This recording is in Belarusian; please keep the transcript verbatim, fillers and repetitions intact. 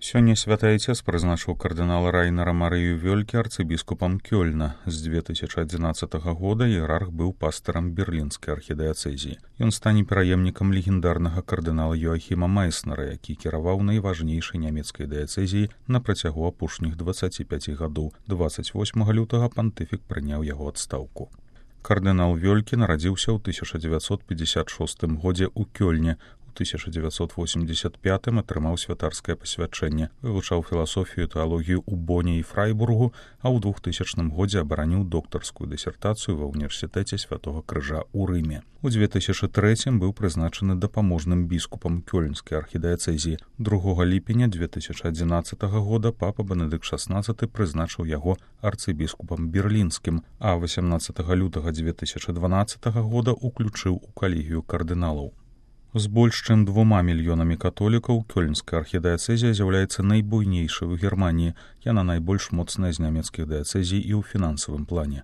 Сёння святы айцец прызначыў кардынала Райнера Марыю Вёльке арцыбіскупам Кёльна. З две тысячы адзінаццатага года іерарх быў пастарам берлінскай архідыяцэзіі. Ён стане пераемнікам легендарнага кардынала Йоахіма Майснера, які кіраваў найважнейшай нямецкай дыяцэзіяй на працягу апошніх дваццаці пяці гадоў. дваццаць восьмага лютага пантыфік прыняў яго адстаўку. Кардынал Вёльке нарадзіўся ў тысяча дзевяцьсот пятьдесят шостым годзе ў Кёльне. У тысяча дзевяцьсот восемьдесят пятым атрымаў святарскае пасвячэнне, вывучаў філасофію і тэалогію ў Боне і Фрайбургу, а ў двухтысячным годзе абараніў доктарскую дысертацыю ва ўніверсітэце Святога Крыжа ў Рыме. У две тысячы трэцім быў прызначаны дапаможным біскупам Кёльнскай архідыяцэзіі. другога ліпеня две тысячы адзінаццатага года папа Бенедыкт шаснаццаты прызначыў яго арцыбіскупам берлінскім, а васямнаццатага лютага две тысячы дванаццатага года уключыў у калегію кардыналаў. З больш чым двума мільёнамі католікаў Кёльнская архідыяцэзія з'яўляецца найбуйнейшай у Германіі. Яна найбольш моцная з нямецкіх дыяцэзій і ў фінансавым плане.